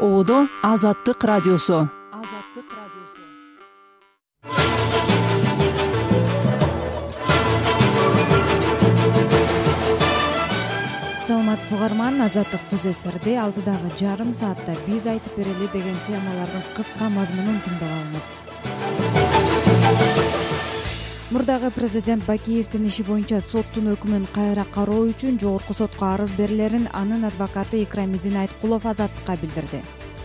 Оодо Азаттык радиосу. Саламатсызбы угарман, Азаттык түз эфирде алдыдагы жарым саатта биз айтып берели деген темалардын кыска мазмунун тыңдап алыңыз. Мурдагы президент Бакиевдин иши боюнча соттун өкүмүн кайра кароо үчүн жогорку сотко арыз берилерин анын адвокаты Икрамидин Айткулов Азаттыкка билдирди.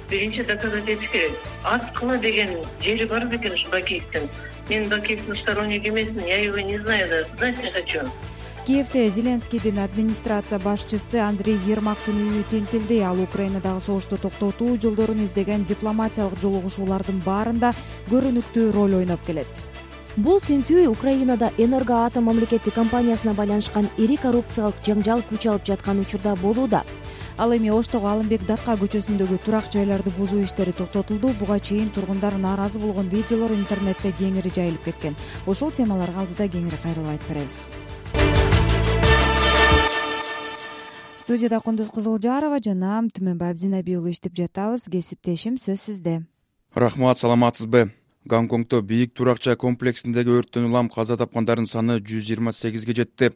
Биринчи доказать этиш керек. Аткыла деген жери бар бекен ушу Бакиевдин. Мен Бакиевдин сторонник эмесмин, я его не знаю даже. Знать не хочу. Киевде Зеленскийдин администрация башчысы Андрей Ермактын үйү тинтилди. Ал Украинадагы согушту токтотуу жолдорун издеген дипломатиялык жолугушуулардын баарында көрүнүктүү роль ойноп келет. Бул тинтүү Украинада Энергоатом мамлекеттик компаниясына байланышкан ири коррупциялык жаңжал күч алып жаткан учурда болууда. Ал эми Оштогу Алымбек Датка көчөсүндөгү турак жайларды бузуу иштери токтотулду. Буга чейин тургундар нааразы болгон видеолор интернетте кеңири жайылып кеткен. Ушул темаларга алдыда кеңири кайрылып айтып беребиз. Студияда Кундуз Кызылжарова жана Түмөнбай Абдинаби уулу иштеп жатабыз. Кесиптешим сөз сизде. Рахмат, саламатсызбы? Гонконгдо бийик туракча комплексиндеги өрттөн улам каза тапкандардын саны 128ге жетти.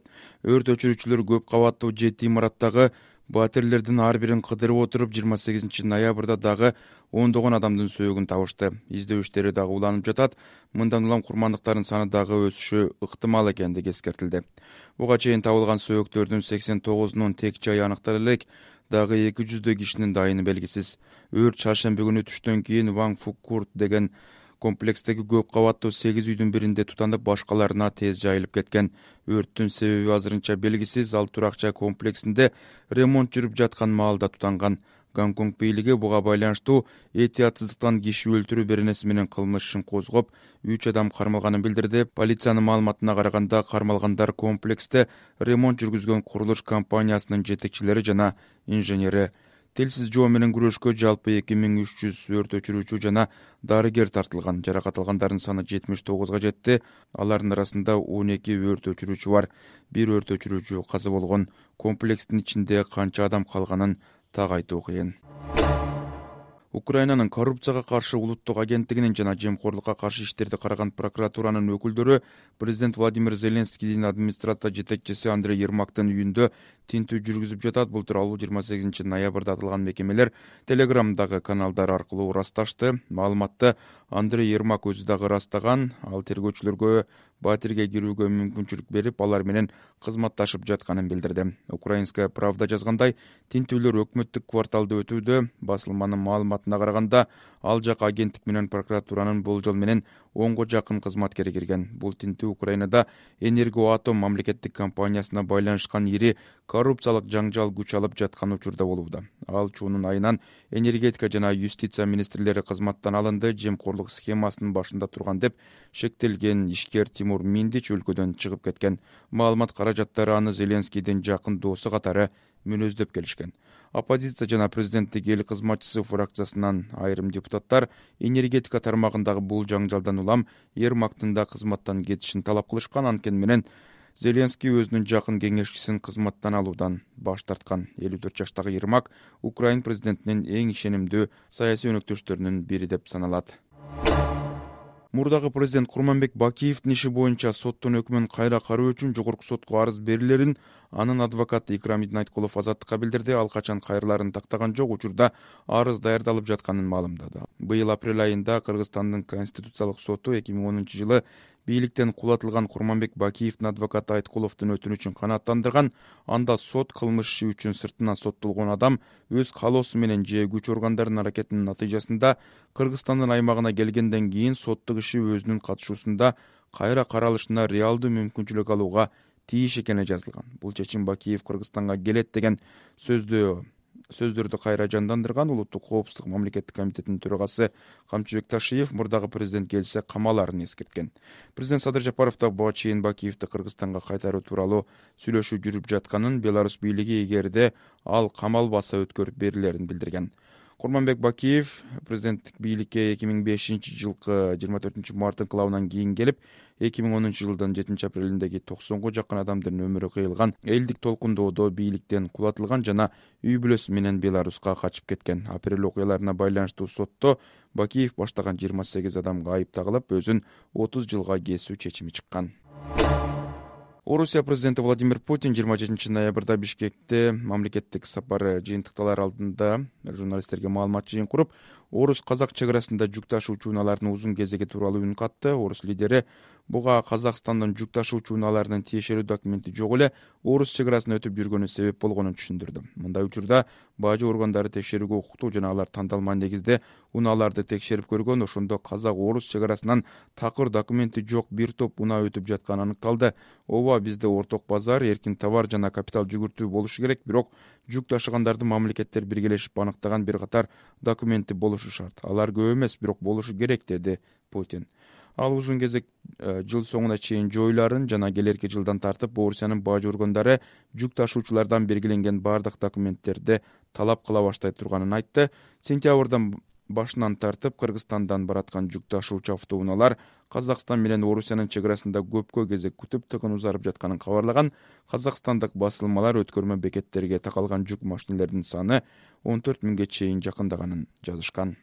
Өрт өчүрүүчүлөр көп кабаттуу 7 имараттагы батирелердин ар бирин кыдырып отуруп 28 ноябрда дагы ондогон адамдын сөөгүн табышты. Издөө иштери дагы уланып жатат. Мындан улам курмандыктардын саны дагы өсүшү ыктымал экендиги эскертилди. Буга чейин табылган сөөгүктөрдүн 89-унун тек жайы аныктала элек, дагы 200 кишинин дайыны белгисиз. Өрт шаршемби күнү түштөн кийин Ван Фуккурт деген комплекстеги көп кабаттуу 8 үйдүн биринде тутанып, башкаларына тез жайылып кеткен. Өрттүн себеби азырынча белгисиз. Ал туракча комплексинде ремонт жүрүп жаткан маалда тутанган. Гонконг бийлиги буга байланыштуу этиятсыздыктан киши өлтүрүү беренеси менен кылмыш ишин козгоп, 3 адам кармалганын билдирди. Полициянын маалыматына караганда, кармалгандар комплексте ремонт жүргүзгөн курулуш компаниясынын жетекчилери жана инженери. Телсиз жоо менен күрөшкө жалпы 2300 өрт өчүрүүчү жана дарыгер тартылган. Жаракат алгандардын саны 79га жетти. Алардын арасында 12 өрт өчүрүүчү бар. Бир өрт өчүрүүчү каза болгон. Комплекстин ичинде канча адам калганын так айтуу кыйын. Украинанын коррупцияга каршы улуттук агенттигинин жана жемкорлукка каршы иштерди караган прокуратуранын өкүлдөрү президент Владимир Зеленскийдин администрация жетекчиси Андрей Ермактын үйүндө тинтүү жүргүзүп жатат. Бул тууралуу 28 ноябрда аталган мекемелер Телеграмдагы каналдар аркылуу ырасташты. Маалыматты Андрей Ермак өзү дагы ырастаган. Ал тергөөчүлөргө батирге кирүүгө мүмкүнчүлүк берип, алар менен кызматташып жатканын билдирди. Украинская правда жазгандай, тинтүүлөр өкмөттүк кварталда өтүүдө. Басылманын маалыматына караганда, ал жака агенттик менен прокуратуранын болжол менен 10го жакын кызматкери кирген. Бул тинтүү Украинада Энергоатом мамлекеттик компаниясына байланышкан ири коррупциялык жаңжал күч алып жаткан учурда болууда. Ал чуунун айынан энергетика жана юстиция министрлери кызматтан алынды. Жемкорлук схемасынын башында турган деп шектелген ишкер Тимур Миндич өлкөдөн чыгып кеткен. Маалымат каражаттары аны Зеленскийдин жакын досу катары мүнөздөп келишкен. Оппозиция жана президенттик эл кызматчысы фракциясынан айрым депутаттар энергетика тармагындагы бул жаңжалдан улам Ермактын да кызматтан кетишин талап кылышкан. Анткени менен Зеленский өзүнүн жакын кеңешчисин кызматтан алуудан баш тарткан. 54 жаштагы Ермак Украин президентинин эң ишенимдүү саясий өнөктөштөрүнүн бири деп саналат. Мурдагы президент Курманбек Бакиевдин иши боюнча соттун өкүмүн кайра кароо үчүн жогорку сотко арыз берилерин анын адвокаты Икрамидин Айткулов Азаттыкка билдирди. Ал качан кайрыларын тактаган жок, учурда арыз даярдалып жатканын маалымдады. Быйыл апрель айында Кыргызстандын Конституциялык соту 2010-жылы бийликтен кулатылган Курманбек Бакиевдин адвокаты Айткуловдун өтүнүчүн канааттандырган. Анда сот кылмыш иши үчүн сыртынан соттолгон адам өз каалоосу менен же күч органдарынын аракетинин натыйжасында Кыргызстандын аймагына келгенден кийин соттук иши өзүнүн катышуусунда кайра каралышына реалдуу мүмкүнчүлүк алууга тийиш экени жазылган. Бул чечим Бакиев Кыргызстанга келет деген сөздөрдү кайра жандандырган. Улуттук коопсуздук мамлекеттик комитетинин төрагасы Камчыбек Ташиев мурдагы президент келсе камаларын эскерткен. Президент Садыр Жапаров да буга чейин Бакиевди Кыргызстанга кайтаруу тууралуу сүйлөшүү жүрүп жатканын, Беларусь бийлиги эгерде ал камалбаса өткөрүп берилерин билдирген. Курманбек Бакиев президенттик бийликке 2005-жылкы 24-март инкылабынан кийин келип, 2010-жылдын 7-апрелиндеги 90га жакын адамдын өмүрү кыйылган элдик толкундоодо бийликтен кулатылган жана үй бүлөсү менен Беларуска качып кеткен. Апрель окуяларына байланыштуу сотто Бакиев баштаган 28 адамга айып тагылып, өзүн 30 жылга кесүү чечими чыккан. Орусия президенти Владимир Путин 27 ноябрда Бишкекте мамлекеттик сапары жыйынтыкталар алдында журналисттерге маалымат жыйын куруп, орус-казак чек арасында жүк ташуучу унаалардын узун кезеги тууралуу үн катты. Орус лидери буга Казакстандын жүк ташуучу унааларынын тиешелүү документи жок эле орус чек арасын өтүп жүргөнү себеп болгонун түшүндүрдү. Мындай учурда бажы органдары текшерүүгө укуктуу жана алар тандалма негизде унааларды текшерип көргөн. Ошондо казак-орус чек арасынан такыр документи жок бир топ унаа өтүп жатканы аныкталды. Ооба, бизде орток базар, эркин товар жана капитал жүгүртүү болушу керек, бирок жүк ташыгандарды мамлекеттер биргелешип аныктаган бир катар документи болушу шарт. Алар көп эмес, бирок болушу керек, деди Путин. Ал узун кезек жыл соңуна чейин жоюларын жана келерки жылдан тартып Орусиянын бажы органдары жүк ташуучулардан белгиленген бардык документтерди талап кыла баштай турганын айтты. Сентябрдан башынан тартып Кыргызстандан бараткан жүк ташуучу автоунаалар Казакстан менен Орусиянын чек арасында көпкө кезек күтүп тыгын узарып жатканын кабарлаган. Казакстандык басылмалар өткөрмө бекеттерге такалган жүк машинелердин саны 14 миңге чейин жакындаганын жазышкан.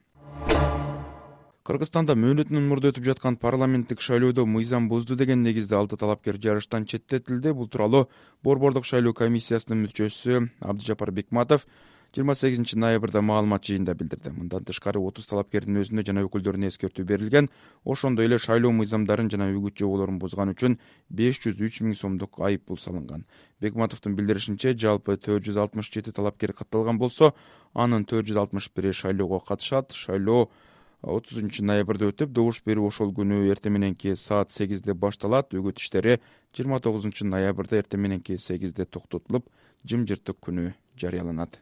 Кыргызстанда мөөнөтүнөн мурда өтүп жаткан парламенттик шайлоодо мыйзам бузду деген негизде 6 талапкер жарыштан четтетилди. Бул тууралуу Борбордук шайлоо комиссиясынын мүчөсү Абдыжапар Бекматов 28 ноябрда маалымат жыйында билдирди. Мындан тышкары 30 талапкердин өзүнө жана өкүлдөрүнө эскертүү берилген. Ошондой эле шайлоо мыйзамдарын жана үгүт жоболорун бузган үчүн 503 миң сомдук айып пул салынган. Бекматовдун билдиришинче, жалпы 467 талапкер катталган болсо, анын 461 шайлоого катышат. Шайлоо 30 ноябрда өтүп, добуш берүү ошол күнү эртең мененки саат 8де башталат. Үгүт иштери 29 ноябрда эртең мененки 8де токтотулуп, жымжырттык күнү жарыяланат.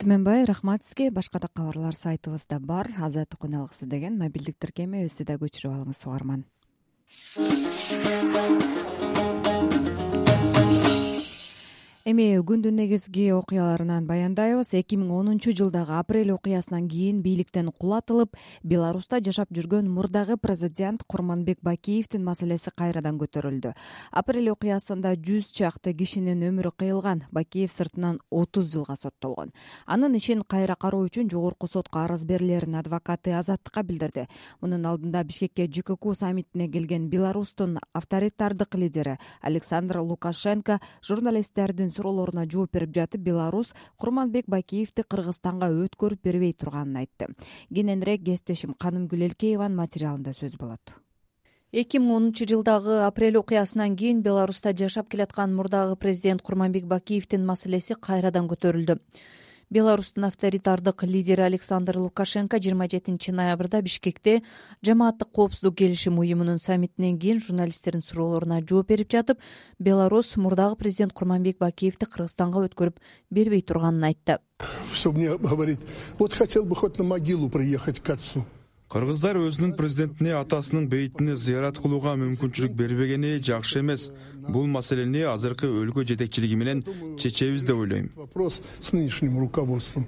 Түмөнбай, рахмат сизге. Башка да кабарлар сайтыбызда бар. Азаттык үн алгысы деген мобилдик тиркеме өзү да көчүрүп алыңыз, угарман. Эми күндүн негизги окуяларынан баяндайбыз. 2010-жылдагы апрель окуясынан кийин бийликтен кулатылып, Беларуста жашап жүргөн мурдагы президент Курманбек Бакиевдин маселеси кайрадан көтөрүлдү. Апрель окуясында 100 чакты кишинин өмүрү кыйылган. Бакиев сыртынан 30 жылга соттолгон. Анын ишин кайра кароо үчүн жогорку сотко арыз берилерин адвокаты Азаттыкка билдирди. Мунун алдында Бишкекке ЖКК саммитине келген Беларустун авторитардык лидери Александр Лукашенко журналисттердин суроолоруна жооп берип жатып, Беларус Курманбек Бакиевди Кыргызстанга өткөрүп бербей турганын айтты. Кененирээк кесиптешим Канымгүл Элкееванын материалында сөз болот. 2010-жылдагы апрель окуясынан кийин Беларуста жашап келаткан мурдагы президент Курманбек Бакиевдин маселеси кайрадан көтөрүлдү. Беларустун авторитардык лидери Александр Лукашенко 27 ноябрда Бишкекте Жамааттык коопсуздук келишим уюмунун саммитинен кийин журналисттердин суроолоруна жооп берип жатып, Беларусь мурдагы президент Курманбек Бакиевди Кыргызстанга өткөрүп бербей турганын айтты. Чтобы мне говорить, вот хотел бы хоть на могилу приехать к отцу. Кыргыздар өзүнүн президентине атасынын бейтине зыярат кылууга мүмкүнчүлүк бербегени жакшы эмес. Бул маселени азыркы өлкө жетекчилиги менен чечебиз деп ойлойм. Вопрос с нынешним руководством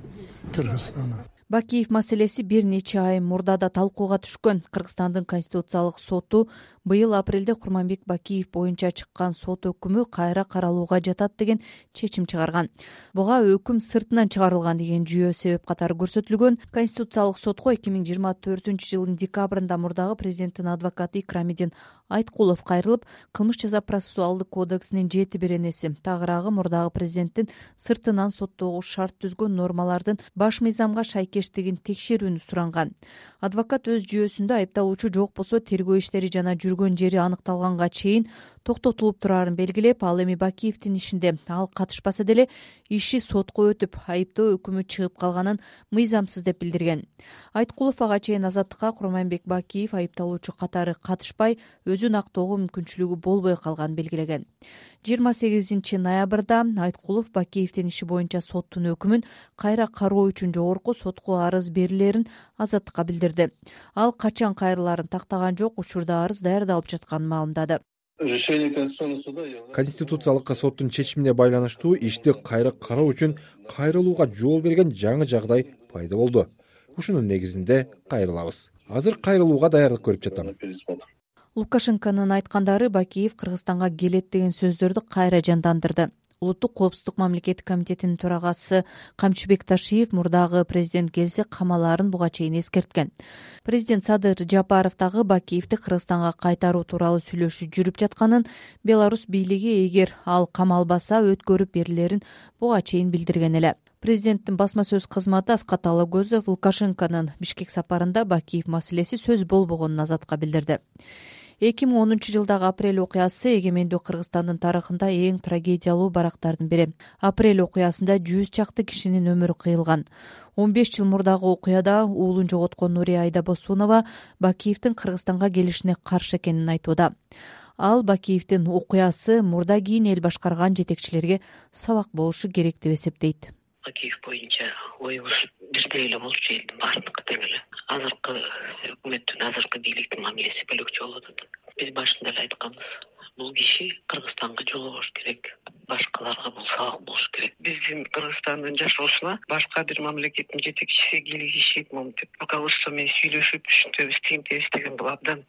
Кыргызстана. Бакиев маселеси бир нече ай мурда да талкууга түшкөн. Кыргызстандын конституциялык соту быйыл апрелде Курманбек Бакиев боюнча чыккан сот өкүмү кайра каралууга жатат деген чечим чыгарган. Буга өкүм сыртынан чыгарылган деген жүйө себеп катары көрсөтүлгөн. Конституциялык сотко 2024-жылдын декабрында мурдагы президенттин адвокаты Икрамидин Айткулов кайрылып, кылмыш жаза процессуалдык кодексинин 7-беренеси, тагыраагы мурдагы президенттин сыртынан соттоого шарт түзгөн нормалардын баш мыйзамга шайкештигин текшерүүнү суранган. Адвокат өз жүйөсүндө айыпталуучу жок болсо тергөө иштери жана жүргөн жери аныкталганга чейин токтотулуп турарын белгилеп, ал эми Бакиевдин ишинде ал катышпаса деле иши сотко өтүп, айыптоо өкүмү чыгып калганын мыйзамсыз деп билдирген. Айткулов ага чейин Азаттыкка Курманбек Бакиев айыпталуучу катары катышпай, өзүн актоого мүмкүнчүлүгү болбой калганын белгилеген. 28 ноябрда Айткулов Бакиевдин иши боюнча соттун өкүмүн кайра кароо үчүн жогорку сотко арыз берилерин Азаттыкка билдирди. Ал качан кайрылаарын тактаган жок, учурда арыз даярдалып жатканын маалымдады. Конституциялык соттун чечимине байланыштуу ишти кайра кароо үчүн кайрылууга жол берген жаңы жагдай пайда болду. Ушунун негизинде кайрылабыз. Азыр кайрылууга даярдык көрүп жатам. Лукашенконун айткандары Бакиев Кыргызстанга келет деген сөздөрдү кайра жандандырды. Улуттук коопсуздук мамлекеттик комитетинин төрагасы Камчыбек Ташиев мурдагы президент келсе камалаарын буга чейин эскерткен. Президент Садыр Жапаров дагы Бакиевди Кыргызстанга кайтаруу тууралуу сүйлөшүү жүрүп жатканын, Беларусь бийлиги эгер ал камалбаса өткөрүп берилерин буга чейин билдирген эле. Президенттин басма сөз кызматы Аскат Алагөзов Лукашенконун Бишкек сапарында Бакиев маселеси сөз болбогонун Азатка билдирди. 2010-жылдагы апрель окуясы эгемендүү Кыргызстандын тарыхында эң трагедиялуу барактардын бири. Апрель окуясында 100 чакты кишинин өмүрү кыйылган. 15 жыл мурдагы окуяда уулун жоготкон Нурия Айдабосунова Бакиевдин Кыргызстанга келишине каршы экенин айтууда. Ал Бакиевдин окуясы мурда кийин эл башкарган жетекчилерге сабак болушу керек деп эсептейт. Бакиев боюнча оюбуз бирдей эле болчу, элдин баардыгы тең эле. Азыркы өкмөттүн, азыркы бийликтин мамилеси бөлөкчө болуп атат. Биз башында эле айтканбыз, бул киши Кыргызстанга жолугуш керек, башкаларга бул сабак болушу керек. Биздин Кыргызстандын жашоосуна башка бир мамлекеттин жетекчиси кийлигишип, монтип руководство менен сүйлөшүп, ушинтебиз, тигинтебиз деген бул абдан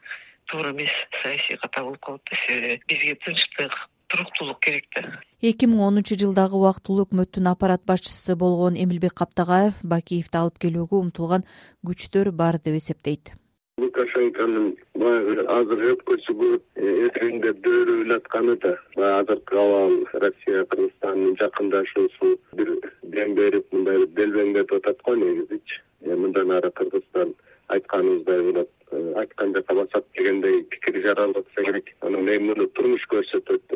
туура эмес саясий ката болуп калат да. Себеби бизге тынчтык, туруктуулук керек да. 2010-жылдагы убактылуу өкмөттүн аппарат башчысы болгон Эмилбек Каптагаев Бакиевди алып келүүгө умтулган күчтөр бар деп эсептейт. Лукашенконун баягы азыр өпкөсү көп эртеңде дөөрөп атканы да азыркы абал Россия Кыргызстандын жакындашуусу бир дем берип мындай делбеңдеп атат го негизичи. Мындан ары Кыргызстан айтканыбыздай болот, айткан жака басат дегендей пикир жаралатса керек. Анан муну турмуш көрсөтөт.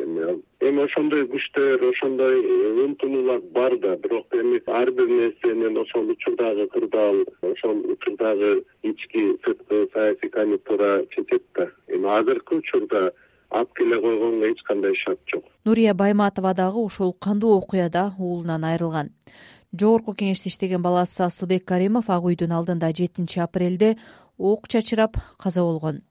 Эми ошондой күчтөр, ошондой умтулуулар бар да, бирок эми ар бир нерсенин ошол учурдагы кырдаал, ошол учурдагы ички сырткы саясий конъюнктура чечет да. Эми азыркы учурда алып келе койгонго эч кандай шарт жок. Нурия Байматова дагы ушул кандуу окуяда уулунан айрылган. Жогорку кеңеште иштеген баласы Асылбек Каримов Ак үйдүн алдында 7 апрелде ок чачырап каза болгон.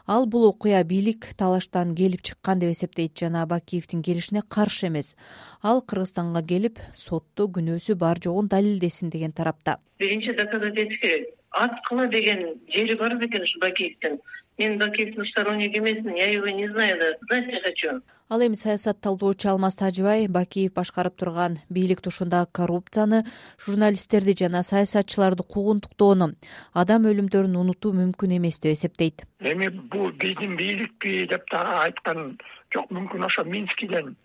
Ал бул окуя бийлик талаштан келип чыккан деп эсептейт жана Бакиевдин келишине каршы эмес. Ал Кыргызстанга келип сотто күнөөсү бар жогун далилдесин деген тарапта. Биринчи доказать этиш керек. Аткыла деген жери бар бекен ушу Бакиевдин. Мен Бакиевдин сторонник эмесмин, я его не знаю, да. Знать не хочу. Ал эми саясат талдоочу Алмаз Тажыбай Бакиев башкарып турган бийлик тушундагы коррупцияны, журналисттерди жана саясатчыларды куугунтуктоону, адам өлүмдөрүн унутуу мүмкүн эмес деп эсептейт. Эми бул биздин бийликпи деп дагы айткан жок, мүмкүн ошо Минскиден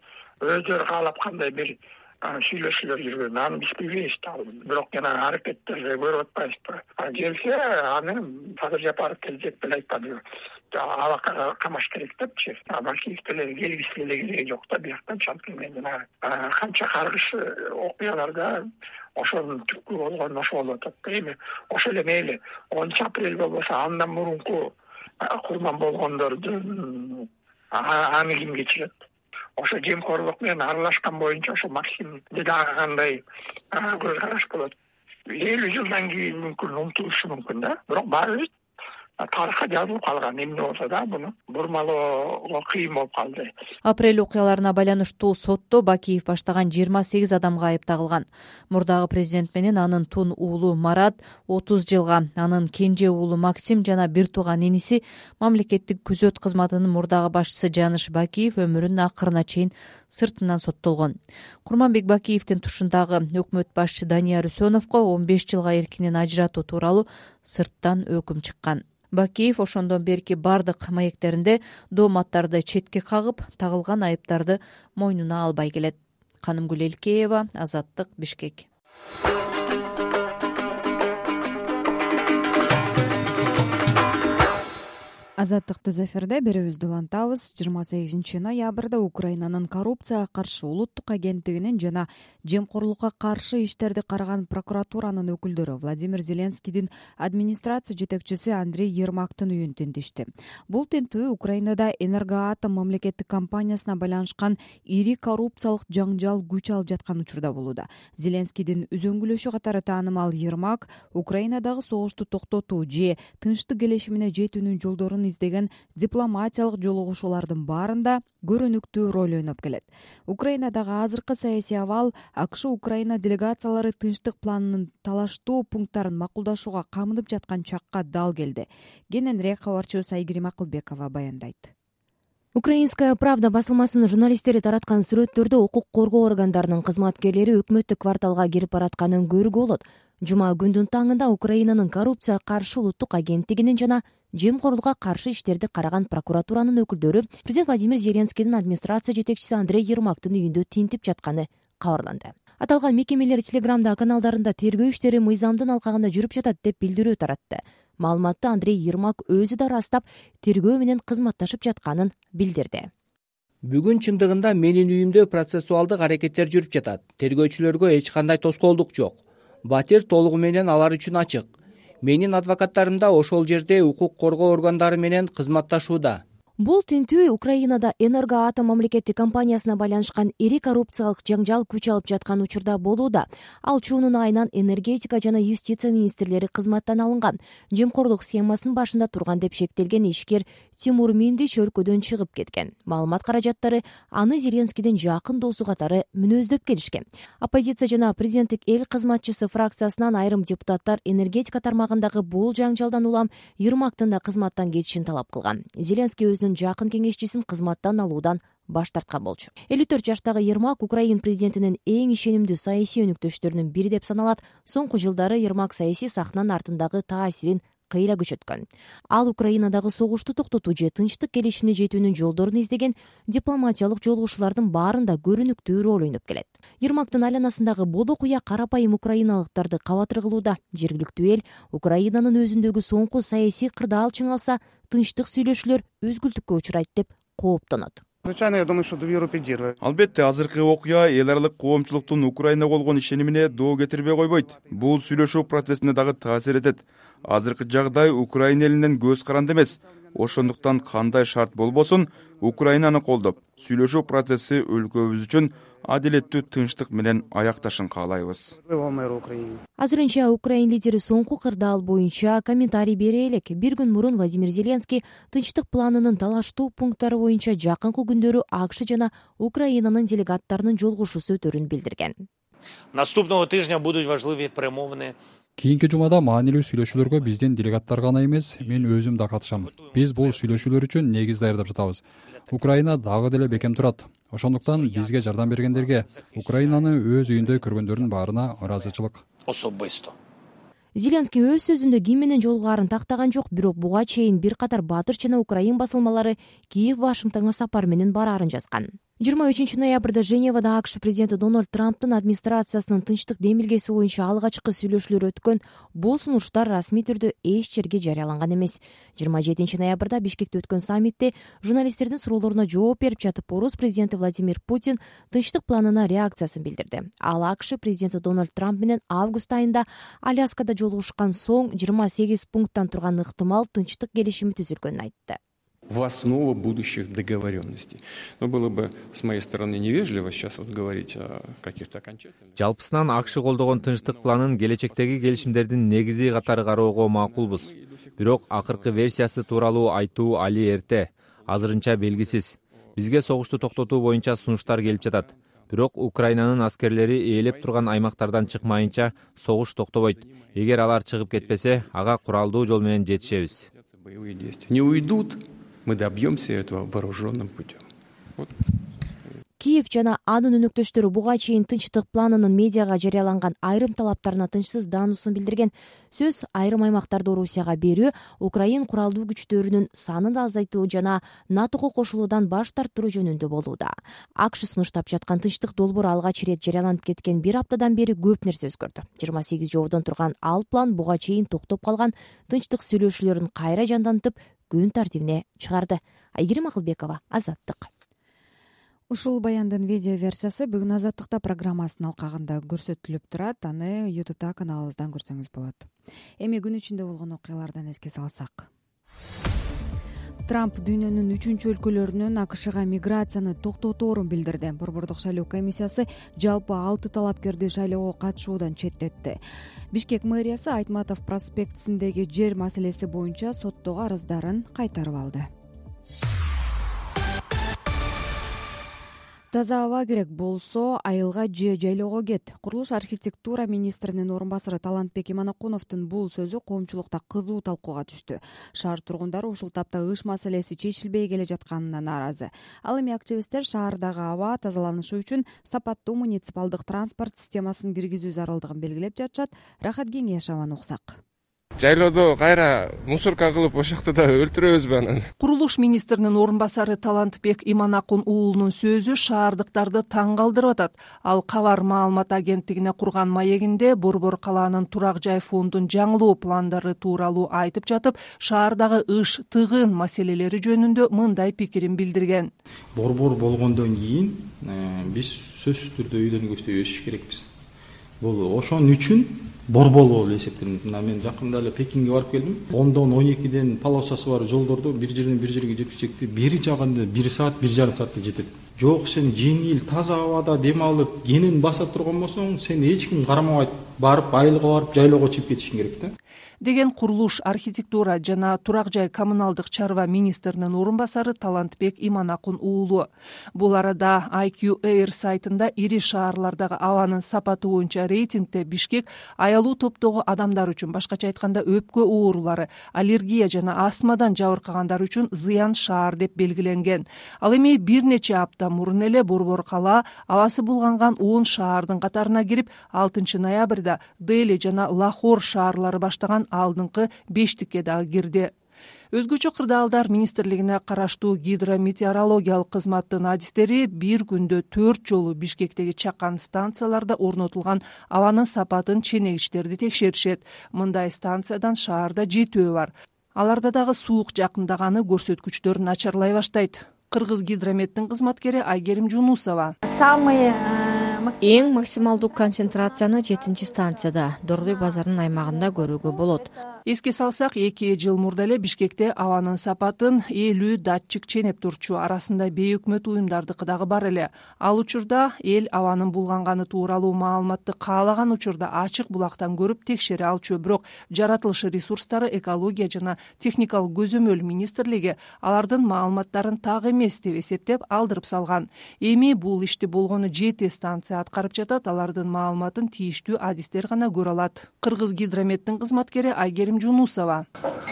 өздөрү каалап кандай бир сүйлөшүүлөр жүргөн, аны биз билбейбиз да. Бирок жана аракеттерди көрүп атпайбызбы. Келсе аны Садыр Жапаров келжек деле айтпады. Алакага камаш керек депчи. Бакиев деле келгиси деле кереги жок да, бияктан чалып келгенден канча каргыш окуяларда ошонун түпкү болгон ошо болуп атат. Эми ошол эле мейли 10 апрель болбосо андан мурунку курман болгондордун аны ким кечирет? Ошо жемкорлук менен аралашкан боюнча ошо Максим дагы кандай көз караш болот. 50 жылдан кийин мүмкүн унутулушу мүмкүн да. Бирок баарыбыз тарыхка жазылып калган. Эмне болсо да буну бурмалоого кыйын болуп калды. Апрель окуяларына байланыштуу сотто Бакиев баштаган 28 адамга айып тагылган. Мурдагы президент менен анын тун уулу Марат 30 жылга, анын кенже уулу Максим жана бир тууган иниси мамлекеттик күзөт кызматынын мурдагы башчысы Жаныш Бакиев өмүрүнүн акырына чейин сыртынан соттолгон. Курманбек Бакиевдин тушундагы өкмөт башчы Данияр Үсөновго 15 жылга эркинен ажыратуу тууралуу сырттан өкүм чыккан. Бакиев ошондон берки бардык маектеринде дооматтарды четке кагып, тагылган айыптарды мойнуна албай келет. Канымгүл Элкеева, Азаттык, Бишкек. Азаттыкты эфирде берүүбүздү улантабыз. 28 ноябрда Украинанын коррупцияга каршы улуттук агенттигинин жана жемкорлукка каршы иштерди караган прокуратуранын өкүлдөрү Владимир Зеленскийдин администрация жетекчиси Андрей Ермактын үйүн тинтишти. Бул тинтүү Украинада Энергоатом мамлекеттик компаниясына байланышкан ири коррупциялык жаңжал күч алып жаткан учурда болууда. Зеленскийдин үзөңгүлөшү катары таанымал Ермак Украинадагы согушту токтотуу же тынчтык келишимине жетүүнүн жолдорун издеген дипломатиялык жолугушуулардын баарында көрүнүктүү роль ойноп келет. Украинадагы азыркы саясий абал АКШ Украина делегациялары тынчтык планынын талаштуу пункттарын макулдашууга камынып жаткан чакка дал келди. Кененирээк кабарчыбыз Айгерим Акылбекова баяндайт. Украинская правда басылмасынын журналисттери тараткан сүрөттөрдө укук коргоо органдарынын кызматкерлери өкмөттүк кварталга кирип баратканын көрүүгө болот. Жума күндүн таңында Украинанын коррупцияга каршы улуттук агенттигинин жана жемкорлукка каршы иштерди караган прокуратуранын өкүлдөрү президент Владимир Зеленскийдин администрация жетекчиси Андрей Ермактын үйүндө тинтип жатканы кабарланды. Аталган мекемелер Телеграмда каналдарында тергөө иштери мыйзамдын алкагында жүрүп жатат деп билдирүү таратты. Маалыматты Андрей Ермак өзү да ырастап, тергөө менен кызматташып жатканын билдирди. Бүгүн чындыгында менин үйүмдө процессуалдык аракеттер жүрүп жатат. Тергөөчүлөргө эч кандай тоскоолдук жок. Батир толугу менен алар үчүн ачык. Менин адвокаттарым да ошол жерде укук коргоо органдары менен кызматташууда. Бул тинтүү Украинада Энергоатом мамлекеттик компаниясына байланышкан ири коррупциялык жаңжал күч алып жаткан учурда болууда. Ал чуунун айынан энергетика жана юстиция министрлери кызматтан алынган. Жемкорлук схемасынын башында турган деп шектелген ишкер Тимур Миндич өлкөдөн чыгып кеткен. Маалымат каражаттары аны Зеленскийдин жакын досу катары мүнөздөп келишкен. Оппозиция жана президенттик эл кызматчысы фракциясынан айрым депутаттар энергетика тармагындагы бул жаңжалдан улам Ермактын да кызматтан кетишин талап кылган. Зеленский өзүнүн жакын кеңешчисин кызматтан алуудан баш тарткан болчу. 54 жаштагы Ермак Украин президентинин эң ишенимдүү саясий өнүктөштөрүнүн бири деп саналат. Соңку жылдары Ермак саясий сахнанын артындагы таасирин кыйла күчөткөн. Ал Украинадагы согушту токтотуу же тынчтык келишимине жетүүнүн жолдорун издеген дипломатиялык жолугушуулардын баарында көрүнүктүү роль ойноп келет. Ермактын айланасындагы боло куя карапайым украиналыктарды кабатыр кылууда. Жергиликтүү эл Украинанын өзүндөгү соңку саясий кырдаал чыңалса, тынчтык сүйлөшүүлөр өзгүлтүккө учурайт деп кооптонот. Я думаю, что доверие поддерживает. Албетте, азыркы окуя эл аралык коомчулуктун Украинага болгон ишенимине доо кетирбей койбойт. Бул сүйлөшүү процессине дагы таасир этет. Азыркы жагдай Украина элинен көз каранды эмес. Ошондуктан кандай шарт болбосун, Украинаны колдоп, сүйлөшүү процесси өлкөбүз үчүн адилеттүү тынчтык менен аякташын каалайбыз. Азырынча Украин лидери соңку кырдаал боюнча комментарий бере элек. Бир күн мурун Владимир Зеленский тынчтык планынын талаштуу пункттары боюнча жакынкы күндөрү АКШ жана Украинанын делегаттарынын жолугушуусу өтөрүн билдирген. Наступного тижня будут важливі перемовини. Кийинки жумада маанилүү сүйлөшүүлөргө биздин делегаттар гана эмес, мен өзүм да катышам. Биз бул сүйлөшүүлөр үчүн негиз даярдап жатабыз. Украина дагы деле бекем турат. Ошондуктан бизге жардам бергендерге, Украинаны өз үйүндө көргөндөрдүн баарына ыраазычылык. Особисто. Зеленский өз сөзүндө ким менен жолугаарын тактаган жок, бирок буга чейин бир катар Батыр жана Украин басылмалары Киев Вашингтонго сапар менен бараарын жазган. 23 ноябрда Женевада АКШ президенти Дональд Трамптын администрациясынын тынчтык демилгеси боюнча алгачкы сүйлөшүүлөр өткөн. Бул сунуштар расмий түрдө эч жерге жарыяланган эмес. 27 ноябрда Бишкекте өткөн саммитте журналисттердин суроолоруна жооп берип жатып, орус президенти Владимир Путин тынчтык планына реакциясын билдирди. Ал АКШ президенти Дональд Трамп менен август айында Аляскада жолугушкан соң 28 пункттан турган ыктымал тынчтык келишими түзүлгөнүн айтты. В основу будущих договоренностей. Но было бы с моей стороны невежливо сейчас говорить о каких-то окончательных. Жалпысынан АКШ колдогон тынчтык планын келечектеги келишимдердин негизи катары кароого макулбуз. Бирок акыркы версиясы тууралуу айтуу али эрте, азырынча белгисиз. Бизге согушту токтотуу боюнча сунуштар келип жатат. Бирок Украинанын аскерлери ээлеп турган аймактардан чыкмайынча согуш токтобойт. Эгер алар чыгып кетпесе, ага куралдуу жол менен жетишебиз. Не уйдут. Мы добьемся этого вооруженным путем. Вот. Киев жана анын өнөктөштөрү буга чейин тынчтык планынын медиага жарыяланган айрым талаптарына тынчсыздануусун билдирген. Сөз айрым аймактарды Орусияга берүү, Украин куралдуу күчтөрүнүн санын азайтуу жана НАТОго кошулуудан баш тарттыруу жөнүндө болууда. АКШ сунуштап жаткан тынчтык долбоору алгач ирет жарыяланып кеткен бир аптадан бери көп нерсе өзгөрдү. 28 жоодон турган ал план буга чейин токтоп калган тынчтык сүйлөшүүлөрүн кайра жандантып, күн тартибине чыгарды. Айгерим Акылбекова, Азаттык. Ушул баяндын видео версиясы бүгүн Азаттыкта программасынын алкагында көрсөтүлүп турат. Аны YouTube'да каналыбыздан көрсөңүз болот. Эми күн ичинде болгон окуялардан эске салсак. Трамп дүйнөнүн 3-өлкөлөрүнөн АКШга миграцияны токтоторун билдирди. Борбордук шайлоо комиссиясы жалпы 6 талапкерди шайлоого катышуудан четтетти. Бишкек мэриясы Айтматов проспектисиндеги жер маселеси боюнча соттогу арыздарын кайтарып алды. Таза аба керек болсо айылга же жайлоого кет. Курулуш архитектура министринин орун басары Талантбек Иманакуновдун бул сөзү коомчулукта кызуу талкууга түштү. Шаар тургундары ушул тапта ыш маселеси чечилбей келе жатканына нааразы. Ал эми активисттер шаардагы аба тазаланышы үчүн сапаттуу муниципалдык транспорт системасын киргизүү зарылдыгын белгилеп жатышат. Рахат Кеңешованы уксак. Жайлоодо кайра мусорка кылып ошакта да өлтүрөбүзбү анан? Курулуш министринин орун басары Талантбек Иманакун уулунун сөзү шаардыктарды таң калтырып атат. Ал Кабар маалымат агенттигине курган маегинде Борбор калаанын турак жай фондун жаңылоо пландары тууралуу айтып жатып, шаардагы ыш, тыгын маселелери жөнүндө мындай пикирин билдирген. Борбор болгондон кийин биз сөзсүз түрдө үйдөн көчтөй өсүш керекпиз. Бул ошон үчүн борбол болуп эсептелет. Мен жакында эле Пекинге барып келдим. 10-дон 12ден полосасы бар жолдорду бир жерден бир жерге жеткизecekти. Бери жагында 1 саат, 1,5 саатта жетет. Жок, сен жеңил, таза абада дем алып, кенен баса турган болсоң, сен эч ким карамабайт, барып айылга барып жайлоого чыгып кетишиң керек да. Деген курулуш, архитектура жана турак жай коммуналдык чарба министринин орун басары Талантбек Иманакун уулу. Бул арада IQ Air сайтында ири шаарлардагы абанын сапаты боюнча рейтингде Бишкек аялуу топтогу адамдар үчүн, башкача айтканда өпкө оорулары, аллергия жана астмадан жабыркагандар үчүн зыян шаар деп белгиленген. Ал эми бир нече апта мурун эле Борбор калаа абасы булганган 10 шаардын катарына кирип, 6 ноябрда Дели жана Лахор шаарлары баштаган алдыңкы 5тикке дагы кирди. Өзгөчө кырдаалдар министрлигине караштуу гидрометеорологиялык кызматтын адистери бир күндө 4 жолу Бишкектеги чакан станцияларда орнотулган абанын сапатын ченегичтерди текшеришет. Мындай станциядан шаарда 7 бар. Аларда дагы суук жакындаганы көрсөткүчтөр начарлай баштайт. Кыргыз гидрометтин кызматкери Айгерим Жунусова. Эң максималдуу концентрацияны 7-станцияда, Дордой базарынын аймагында көрүүгө болот. Эске салсак, 2 жыл мурда эле Бишкекте абанын сапатын 50 датчик ченеп турчу, арасында бейөкмөт уюмдардыкы дагы бар эле. Ал учурда эл абанын булганганы тууралуу маалыматты каалаган учурда ачык булактан көрүп текшере алчу. Бирок жаратылышы ресурстары, экология жана техникалык көзөмөл министрлиги алардын маалыматтарын так эмес деп эсептеп алдырып салган. Эми бул ишти болгону 7 станция аткарып жатат, алардын маалыматын тийиштүү адистер гана көрө алат. Кыргыз гидрометтин кызматкери Айгерим Жунусова.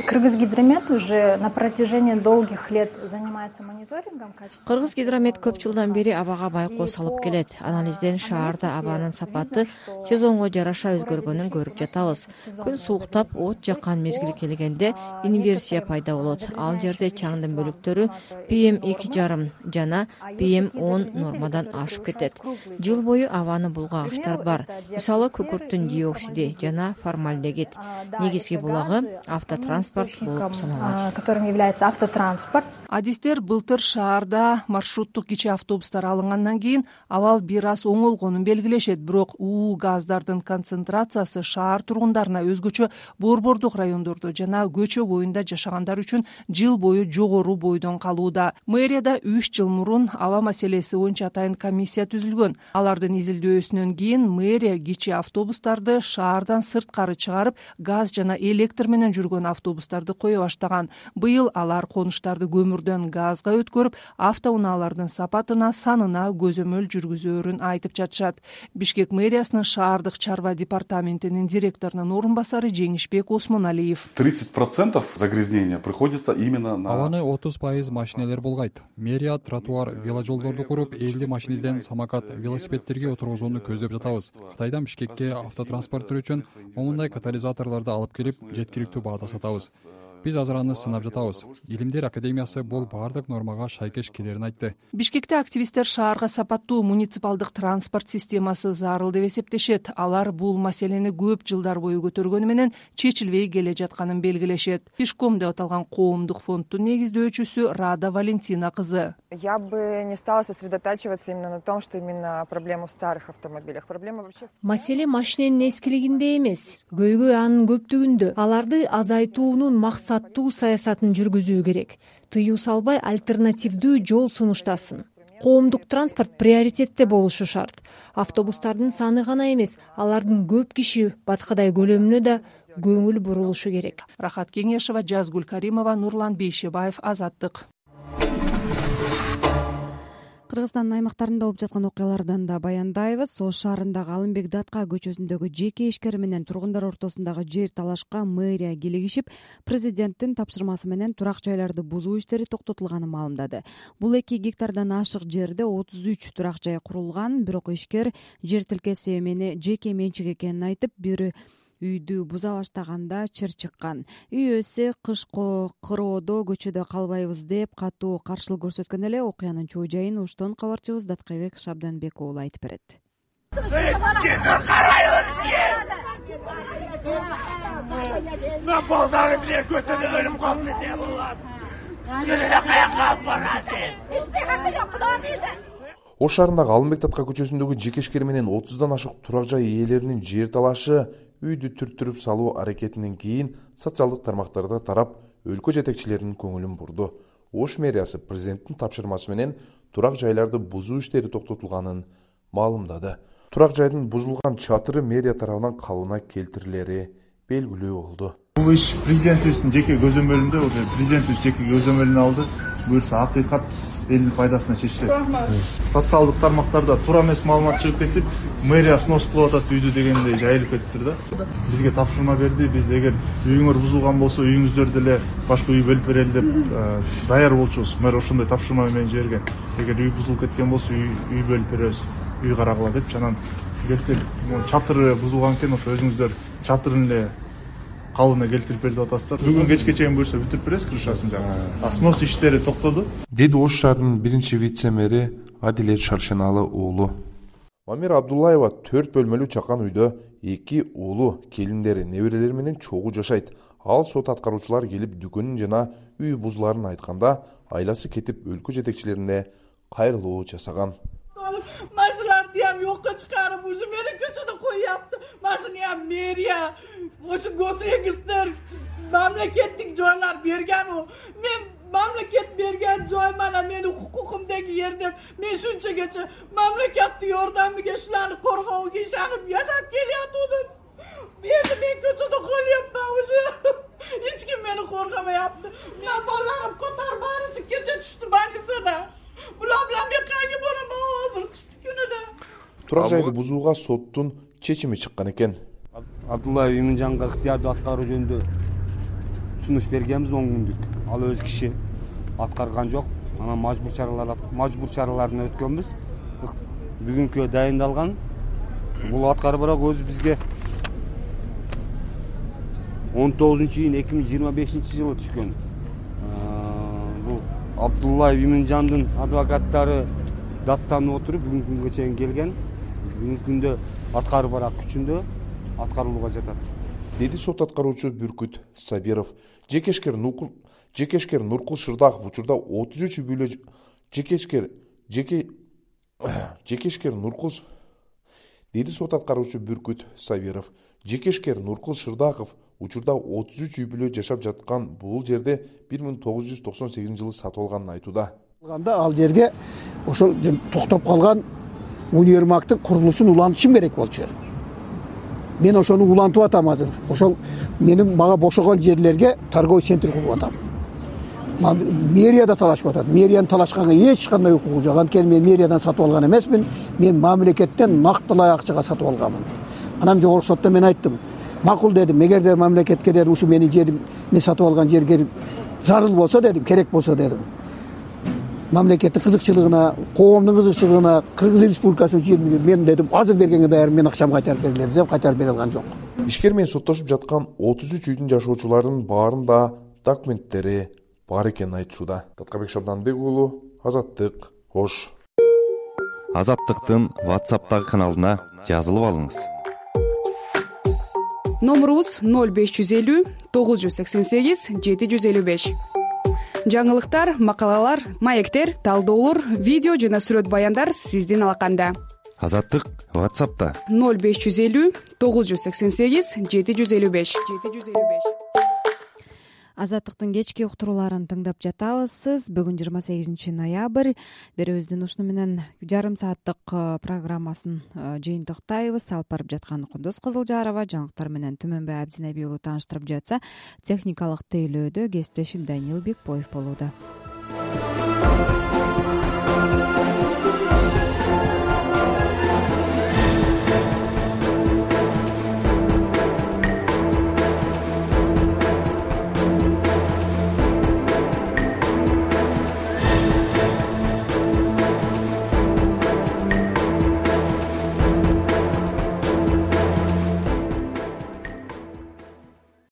Кыргыз гидромет уже на протяжении долгих лет занимается мониторингом качества. Кыргыз гидромет көп жылдан бери абага байкоо салып келет. Анализден шаарда абанын сапаты сезонго жараша өзгөргөнүн көрүп жатабыз. Күн сууктап, от жаккан мезгил келгенде инверсия пайда болот. Ал жерде чаңдын бөлүктөрү PM2,5 жана PM10 нормадан ашып кетет. Жыл бою абаны булгагычтар бар. Мисалы, күкүрттүн диоксиди жана формальдегид. Негизги булагы автотранспорт болуп саналат. Которым является автотранспорт. Адистер былтыр шаарда маршруттук кичи автобустар алынгандан кийин абал бир аз оңолгонун белгилешет. Бирок уу газдардын концентрациясы шаар тургундарына, өзгөчө борбордук райондордо жана көчө боюнда жашагандар үчүн жыл бою жогору бойдон калууда. Мэрияда 3 жыл мурун аба маселеси боюнча атайын комиссия түзүлгөн. Алардын изилдөөсүнөн кийин мэрия кичи автобустарды шаардан сырткары чыгарып, газ жана электр менен жүргөн автобустарды кое баштаган. Быйыл алар конуштарды көмүрдөн газга өткөрүп, автоунаалардын сапатына, санына көзөмөл жүргүзөөрүн айтып жатышат. Бишкек мэриясынын шаардык чарба департаментинин директорунун орун басары Жеңишбек Осмоналиев. 30% загрязнения приходится именно на... Абаны 30% машинелер болгайт. Мэрия тротуар, веложолдорду куруп, 50 машинеден самокат, велосипедтерге отургузууну көздөп жатабыз. Кытайдан Бишкекке автотранспорттор үчүн момундай катализаторлорду алып келип, жеткиликтүү баада сатабыз. Биз азыр аны сынап жатабыз. Илимдер академиясы бул бардык нормага шайкеш келерин айтты. Бишкекте активисттер шаарга сапаттуу муниципалдык транспорт системасы зарыл деп эсептешет. Алар бул маселени көп жылдар бою көтөргөнү менен чечилбей келе жатканын белгилешет. Пешком деп аталган коомдук фонддун негиздөөчүсү Рада Валентина кызы. Я бы не стала сосредотачиваться именно на том, что именно проблема в старых автомобилях. Проблема вообще... Маселе машиненин эскилигинде эмес, көйгөй анын көптүгүндө. Аларды азайтуунун максаты катуу саясатын жүргүзүү керек. Тыюу салбай альтернативдүү жол сунуштасын. Коомдук транспорт приоритетте болушу шарт. Автобустардын саны гана эмес, алардын көп киши баткадай көлөмүнө да көңүл бурулушу керек. Рахат Кеңешева, Жазгүл Каримова, Нурлан Бейшебаев, Азаттык. Кыргызстандын аймактарында болуп жаткан окуялардан да баяндайбыз. Ош шаарындагы Алымбек Датка көчөсүндөгү жеке ишкер менен тургундар ортосундагы жер талашка мэрия килигишип, президенттин тапшырмасы менен турак жайларды бузуу иштери токтотулганын маалымдады. Бул 2 гектардан ашык жерде 33 турак жай курулган, бирок ишкер жер тилкеси мени жеке менчик экенин айтып, бир үйдү буза баштаганда чыр чыккан. Үй ээси кыш кыроодо көчөдө калбайбыз деп катуу каршылык көрсөткөн эле. Окуянын чоо жайын Оштон кабарчыбыз Даткайбек Шабданбек уулу айтып берет. Ош шаарындагы Алымбек Датка көчөсүндөгү жеке ишкер менен 30дан ашык турак жай ээлеринин жер талашы үйдү түрттүрүп салуу аракетинен кийин социалдык тармактарда тарап, өлкө жетекчилеринин көңүлүн бурду. Ош мэриясы президенттин тапшырмасы менен турак жайларды бузуу иштери токтотулганын маалымдады. Турак жайдын бузулган чатыры мэрия тарабынан калыбына келтирилери белгилүү болду. Бул иш президентибиздин жеке көзөмөлүндө, президентибиз жеке көзөмөлүнө алды. Буюрса акыйкат элдин пайдасына чечилет. Социалдык тармактарда туура эмес маалымат чыгып кетип, мэрия снос кылып атат үйдү дегендей жайылып кетиптир да. Бизге тапшырма берди. Биз эгер үйүңөр бузулган болсо, үйүңүздөрдү эле башка үй бөлүп берели деп даяр болчубуз. Мэр ошондой тапшырма менен жиберген. Эгер үй бузулуп кеткен болсо, үй бөлүп беребиз. Үй карагыла деп, анан келсек, чатыры бузулган экен, ошо өзүңүздөр чатырын эле калыбына келтирип берип атасыздар. Бүгүн кечке чейин буюрса бүтүрүп беребиз крышасын жагы. Снос иштери токтоду, деди Ош шаарынын биринчи вице-мэри Адилет Шаршеналы уулу. Мамир Абдуллаева 4 бөлмөлүү чакан үйдө 2 уулу, келиндери, неберелери менен чогуу жашайт. Ал сот аткаруучулар келип дүкөнүн жана үй бузуларын айтканда, айласы кетип өлкө жетекчилерине кайрылуу жасаган. Машиналарды ham yo'qqa chiqarib, o'sha meni ko'chada qo'yyapti. Mashina ham meriya, o'sha gosregistr, mamlakatlik joylar bergan u. Men mamlakat bergan joy mana meni huquqimdagi yer deb, men shunchagacha mamlakatning yordamiga shularni qo'rg'ovga ishonib yashab kelyotgandim. Endi men ko'chada qolyapman o'sha. Hech kim meni qo'rg'amayapti. Men bolalarim ko'tarib barisi kecha tushdi banisada. Bular bilan men qayerga boraman hozir qishki kunida? Турак жайды бузууга соттун чечими чыккан экен. Абдуллаев Иминжанга ыктыярдуу аткаруу жөнүндө сунуш бергенбиз 10 күндүк. Ал өз киши аткарган жок. Анан мажбур чараларына өткөнбүз. Бүгүнкү дайындалган. Бул аткарып бирок өзү бизге 19-июнь 2025-жылы түшкөн. Бул Абдуллаев Иминжандын адвокаттары даттанып отуруп бүгүнкү күнгө чейин келген. Бүгүнкү күндө аткаруу барак күчүндө аткарылууга жатат. Деди сот аткаруучу Бүркүт Сабиров. Жекешкер Нуркул Шырдаков учурда 33 үй бүлө жекешкер Нуркул Деди сот аткаруучу Бүркүт Сабиров. Жекешкер Нуркул Шырдаков учурда 33 үй бүлө жашап жаткан бул жерде 1998-жылы сатып алганын айтууда. Ал жерге ошол токтоп калган универмагдын курулушун улантышым керек болчу. Мен ошону улантып атам азыр. Ошол менин мага бошогон жерлерге торговый центр куруп атам. Мэрияда талашып атат. Мэриянын талашканга эч кандай укугу жок. Анткени мен мэриядан сатып алган эмесмин. Мен мамлекеттен нактылай акчага сатып алганмын. Анан жогорку сотто мен айттым. Макул дедим. Эгерде мамлекетке дедим, ушу менин жерим, мен сатып алган жерге зарыл болсо дедим, керек болсо дедим. Мамлекеттин кызыкчылыгына, коомдун кызыкчылыгына, Кыргыз Республикасы үчүн мен дедим, азыр бергенге даяр, мен акчамды кайтарып берилер деп кайтарып бере алган жок. Ишкер менен соттошуп жаткан 33 үйдүн жашоочуларынын баарында документтери бар экенин айтышууда. Даткайбек Шабданбек уулу, Азаттык, Ош. Азаттыктын WhatsApp'тагы каналына жазылып алыңыз. Номерубуз 0550 988 755. Жаңылыктар, макалалар, маектер, талдоолор, видео жана сүрөт баяндар сиздин алаканда. Азаттык WhatsApp'та 0550 988 755. Азаттыктын кечки уктурууларын тыңдап жатабыз. Бүгүн 28 ноябрь. Берүүбүздүн ушуну менен жарым сааттык программасын жыйынтыктайбыз. Алып барып жаткан Кундуз Кызылжарова, жаңылыктар менен Түмөнбай Абдинеби уулу тааныштырып жатса, техникалык тейлөөдө кесиптешим Даниил Бекбоев болууда.